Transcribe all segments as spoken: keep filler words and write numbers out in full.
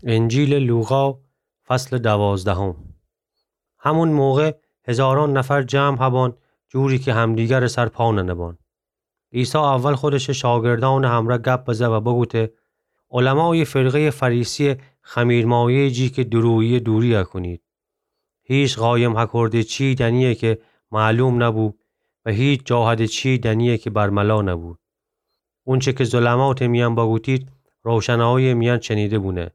انجیلٚ لوقا، فصلٚ دوازدهم. همون موقع هزاران نفر جمع هبان، جوری که همدیگرٚ سر پا ننبان. عیسی اول خودشٚ شاگردأنٚ همرأ گپ بزه و بگوته: علمایٚ فرقه‌یٚ فریسی‌یه خمیرمایه‌یٚ جی که دروییه دوری هکونید. هیچ قایم هکرده چی دنیه که معلوم نبو و هیچ جاهده چی دنیه که برملا نبو. اونچه که ظلماتٚ میأن بگوتید، روشنایی‌یٚ میأن چنیده بونه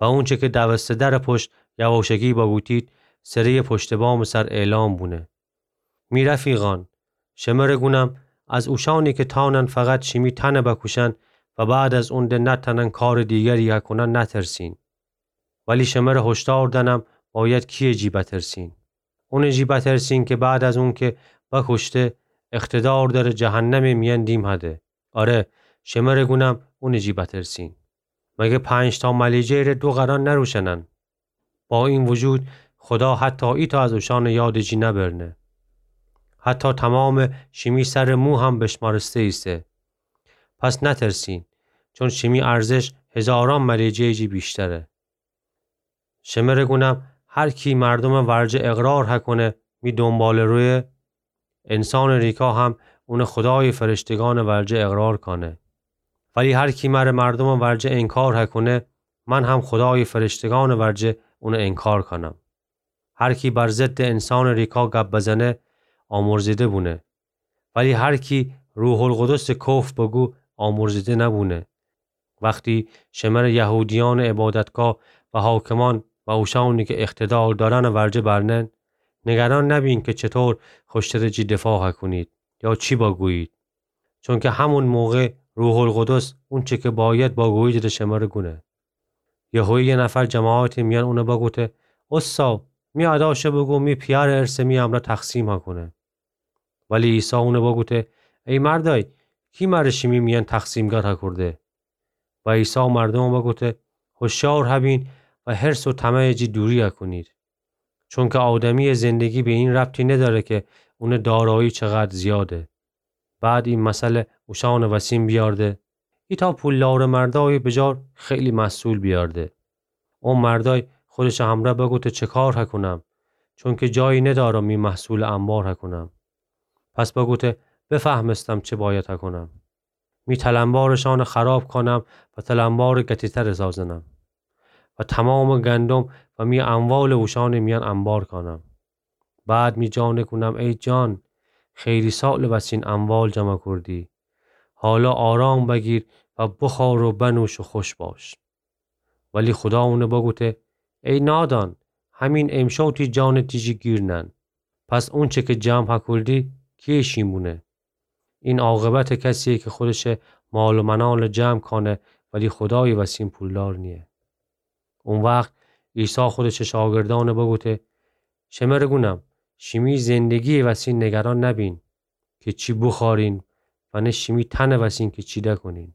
و اونچه که دوسته درٚ پشت یواشکی بگوتید، سره‌یٚ پشتٚ بامٚ سر اعلام بونه. می رفیقان، شمره گونم، از اوشانی که تانن فقط شیمی تنه بکوشن و بعد از اون ده نتانن کارٚ دیگری هکونن نترسین. ولی شمره هشدار دنم، باید کی‌یٚ جی بترسین. اونٚ جی بترسین که بعد از اون که بکوشته، اقتدار دره جهنمٚ میأن دیم هده. آره، شمره گونم، اونٚ جی بترسین. مگه پنج‌تا ملیجه‌یٚ ره دو قران نروشنن؟ با این وجود، خدا حتی ایتأ از اوشانٚ یادٚ جی نبرنه. حتی تومامٚ شیمی سرٚ مو هم بشمارسته ایسه. پس نترسین، چون شیمی ارزش هزاران ملیجه‌یٚ جی ویشتره. شمره گونم، هر کی مردومٚ ورجه اقرار هکونه، می دونباله‌رویه، انسانٚ ریکا هم اونه خودایٚ فرشتگانٚ ورجه اقرار کانه. ولی هر کی مره مردومٚ ورجه انکار هکونه، من هم خودایٚ فرشتگانٚ ورجه اونه انکار کانم. هر کی بر ضدٚ انسانٚ ریکا گپ بزنه، آمرزیده بونه. ولی هر کی روح‌القدسٚ کفر بگو، آمرزیده نبونه. وختی شمره یهودیأنٚ عبادتگاه و حاکمان و اوشانی که اقتدار دارنٚ ورجه برنن، نگران نبین که چطور خوشترٚ جی دفاع هکونید یا چی بگویید، چونکه همون موقع روح‌القدس اونچه که باید بگویید ره شمره گونه. یهویی یه نفر جماعتٚ میأن اونه بگوته: اوستا، می ادا شه بگو می پیأرٚ ارثه می امرأ تقسیم هکونه. ولی عیسی اونه بگوته: ای مردای، کی مره شیمی میأن تقسیمگر هکورده؟ و عیسی مردومٚ بگوته: هوشیار هبین و حرص و طمعٚ جی دوری هکونید. چونکه آدمیٚ زندگی به این ربطی نداره که اونٚ دارایی چقدر زیاده. بعد این مثل اوشانٚ وسین بیارده: ایتأ پولدارٚ مردای بجار خیلی محصول بیارده. او مردای خودشٚ همرأ بگوته: چه کار هکونم؟ چونکه جایی ندارم می محصولٚ انبار هکونم. پس بگوته: بفهمستم چه باید هکونم. می تلنبارٚ شانٚ خراب کانم و تلنبارٚ گتیتر سازنم و تومامٚ گندم و می اموالٚ اوشانٚ میأن انبار کانم. بعد می جانٚ گونم: ای جان، خیلی سالٚ وسین اموال جمع کوردی. حالا آرام بگیر و بخور و بنوش و خوش باش. ولی خدا اونه بگوته: ای نادان، همین امشو تی جانٚ تی جی گیر نأن. پس اونچه که جمع هکولدی، کی‌یه شین بونه؟ این عاقبتٚ کسیه که خودشٚ مال و منال جمع کانه، ولی خودایٚ وسین پولدار نییه. او وخت عیسی خودشٚ شاگردأن بگوته: شمره گونم، شیمی زندگییٚ وسین نگران نبین که چی بوخورین و نه شیمی تنٚ وسین که چی دکونین.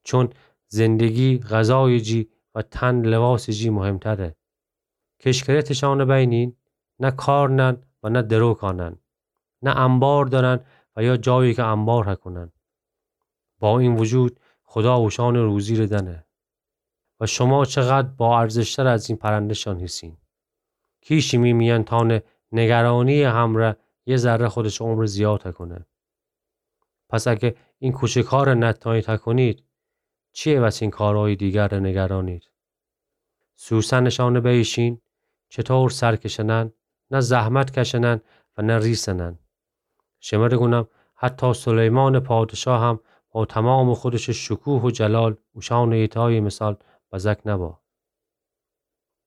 چون زندگی غذایٚ جی و تن لباسٚ جی مهمتره. کشکرتٚ شانٚ بینین، نه کار نأن و نه درو کانن، نه انبار دأرن و یا جایی که انبار هکونن. با این وجود، خدا اوشانٚ روزی ره دأنه. و شما چقدر با ارزشتر از این پرنده‌شان هیسین؟ کی شیمی میأن تانه نگرانییٚ همرأ یه ذره خودشٚ عمر زیاد هکونه؟ پس اگه این کوچک‌ها ره نتأنید هکونید، چی‌یه وسین کارهایٚ دیگر ره نگرانید؟ سوسنٚ شانٚ بیشین، چطور سر کشنن، نه زحمت کشنن و نه ریسنن. شمره گونم، حتی سلیمانٚ پادشاه هم با تومامٚ خودشٚ شکوه و جلال اوشانٚ ایتایٚ مثال بزک نبا.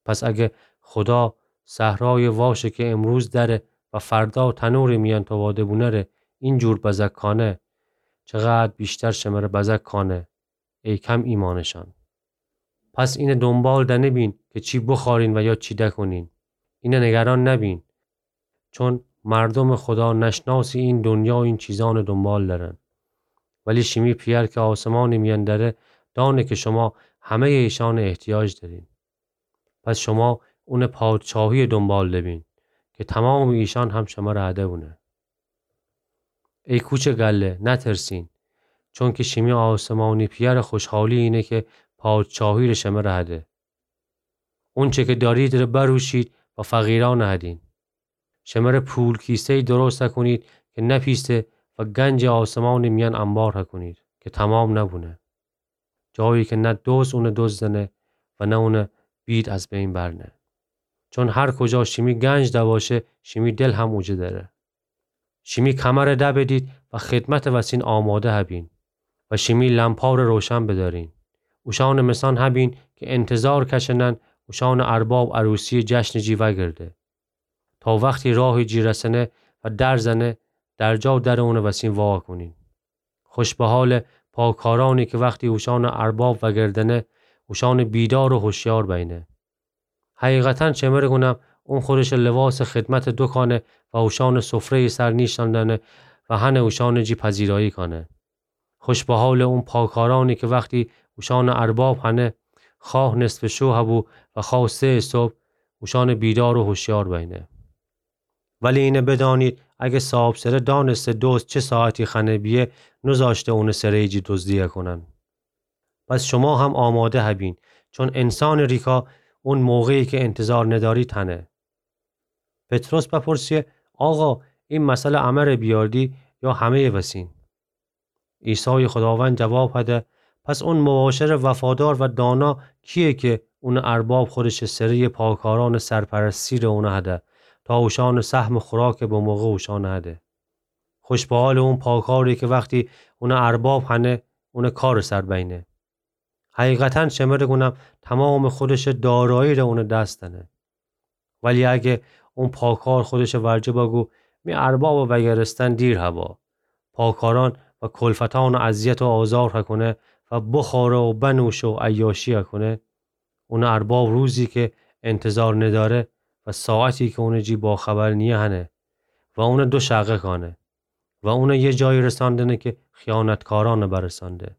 پس اگه خدا صحرایٚ واشٚ که امروز دره و فردا تنورٚ میأن توواده بونه ره اینجور بزک کانه، چقدر ویشتر شمره بزک کانه، ای کم ایمأنٚ شان. پس اینه دونبال دنبین که چی بوخورین و یا چی دکونین. اینه نگران نبین. چون مردومٚ خدا نشناسٚ این دونیا این چیزأنٚ دونبال درن. ولی شیمی پیأر که آسمانٚ میأن دره، دأنه که شما همه‌یٚ ایشأنٚ احتیاج دأرین. پس شما اونٚ پادشاهییٚ دونبال دبین که تومامٚ ایشأن هم شمره هده بونه. ای کوچٚ گله، نترسین، چونکه شیمی آسمانی پیأرٚ خوشحالی اینه که پادشاهی ره شمره هده. اونچه که دأریدٚره بروشید و فقیرأنٚ هدین. شمره پول کیسه‌یی درست هکونید که نپیسه و گنجٚ آسمانٚ میأن انبار هکونید که تمام نبونه. جایی که نه دزد اونه دزدنه و نه اونٚ بید از بین برنه. چون هر کجا شیمی گنج دباشه، شیمی دل هم اوجه دأره. شیمی کمره دبدید و خدمتٚ وسین آماده هبین و شیمی لمپاره روشن بدأرین. اوشانٚ مثان هبین که انتظار کشنن اوشانٚ ارباب عروسیٚ جشنٚ جی وأگرده. تا وختی راهٚ جی رسنه و در زنه، درجا درٚ اونٚ وسین وا کونین. خوش به حالٚ پاکارأنی که وختی اوشانٚ ارباب وأگردنه، اوشانٚ بیدار و هوشیار بینه. حقیقتاً شمره گونم، اون خودشٚ لباسٚ خدمت دوکانه و اوشانٚ سفره‌یٚ سر نیشتن دأنه و هنه اوشانٚ جی پذیرایی کانه. خوش به حالٚ اون پاکارأنی که وختی اوشانٚ ارباب هنه، خواه نصفٚ شو هبو و خواه سه‌یٚ صبح، اوشانٚ بیدار و هوشیار بینه. ولی اینه بدأنید، اگه صاحبسره دأنسته دزد چه ساعتی خانه بیه، نوذأشته اونٚ سره‌یٚ جی دزدی کونن. پس شما هم آماده هبین، چون انسانٚ ریکا اون موقعی که انتظار ندأرید هنه. پطرس بپرسیه: آقا، ای مسئله امره بیاردی یا همه‌یٚ وسین؟ عیسایٚ خداوند جواب هده: پس اون مباشرٚ وفادار و دانا کییه که اونٚ ارباب خودشٚ سره‌یٚ پاکارأنٚ سرپرستی ره اونه هده تا اوشانٚ سهمٚ خوراکٚ بموقع اوشانٚ هده؟ خوش به حالٚ اون پاکاری که وختی اونٚ ارباب هنه، اونٚ کارٚ سر بینه. حقیقتاً شمره گونم، تمامٚ خودشٚ دارایی ره اونٚ دس دأنه. ولی اگه اون پاکار خودشٚ ورجه بگو: می اربابٚ وأگرستن دیر هوا، پاکارأن و کلفتأنٚ اذیت و آزار هکونه و بخوره و بنوشه و عیاشی هکونه، اونٚ ارباب روزی که انتظار ندأره و ساعتی که اونٚ جی باخبر نییه هنه و اونه دو شقه کانه و اونه یه جایی رساندنه که خیانتکارأنٚ برسانده.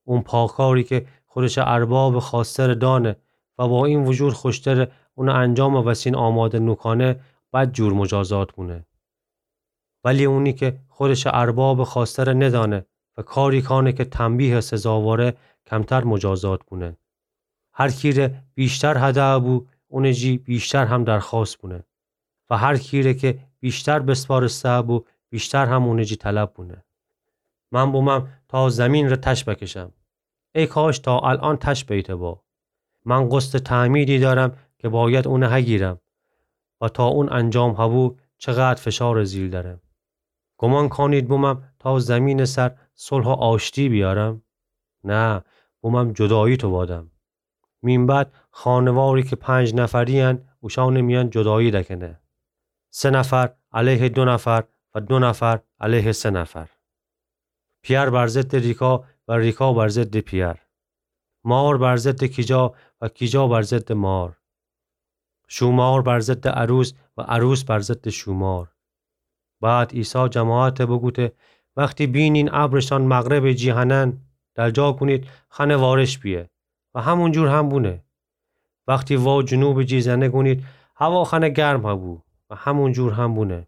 اون پاکاری که خودشٚ اربابٚ خواسته‌ره دأنه و با این وجود خوشتره اونٚ انجامٚ وسین آماده نوکانه، بدجور مجازات بونه. ولی اونی که خودشٚ اربابٚ خواسته‌ره ندأنه و کاری کانه که تنبیهٚ سزاواره، کمتر مجازات بونه. هر کیره ویشتر هده بو، اونٚ جی ویشتر هم درخوأست بونه. و هر کیره که ویشتر بسپارسته بو، ویشتر هم اونٚ جی طلب بونه. من بومم تا زمین ره تش بکشم. ای کاش تا الأن تش بیته با. من قسطٚ تعمیدی دأرم که باید اونه هگیرم و تا اون انجام هبو چقدر فشارٚ زیر دأرم. گمان کانید بومم تا زمینٚ سر صلح و آشتی بیأرم؟ نه، بومم جدایی توبادم. مین بعد خانواری که پنج نفری‌ین، اوشانٚ میأن جدایی دکنه. سه نفر علیه دو نفر و دو نفر علیه سه نفر. پیأر بر ضدٚ ریکا و ریکا بر ضدٚ پیأر. مار بر ضدٚ کیجا و کیجا بر ضدٚ مار. شومار بر ضدٚ عروس و عروس بر ضدٚ شومار. بعد عیسی جماعته بوگوته: وختی بینین ابرشان مغربٚ جی هنن، درجا کونید خنه وارش بیه. و همون جور هم بونه. وختی وا جنوبٚ جی زنه گونید هوا خنه گرم هبو. و همون جور هم بونه.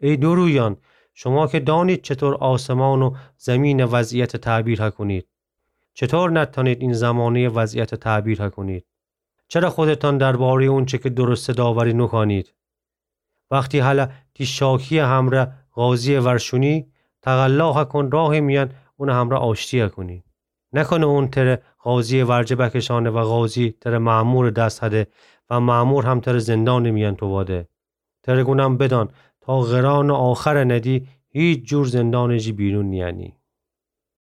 ای دورویأن، شما که دانید چطور آسمان و زمینٚ وضعیته تعبیر هکونید، چطور نتأنید این زمانه‌یٚ وضعیته تعبیر هکونید؟ چره خودتان درباره‌یٚ اونچه که درسته داوری نوکانید؟ وختی هله تی شاکی‌یٚ همره قاضی‌یٚ ور شونی، تقلا هکون راهٚ میأن اونٚ همره آشتی هکونی. نکنه اون تره قاضی‌یٚ ورجه بکشانه و قاضی تره مأمورٚ دس هده و مأمور هم تره زندانٚ میأن توباده. تره گونم بدأن، تا قرانٚ آخره ندی، هیچ جور زندانٚ جی بیرون نیأنی.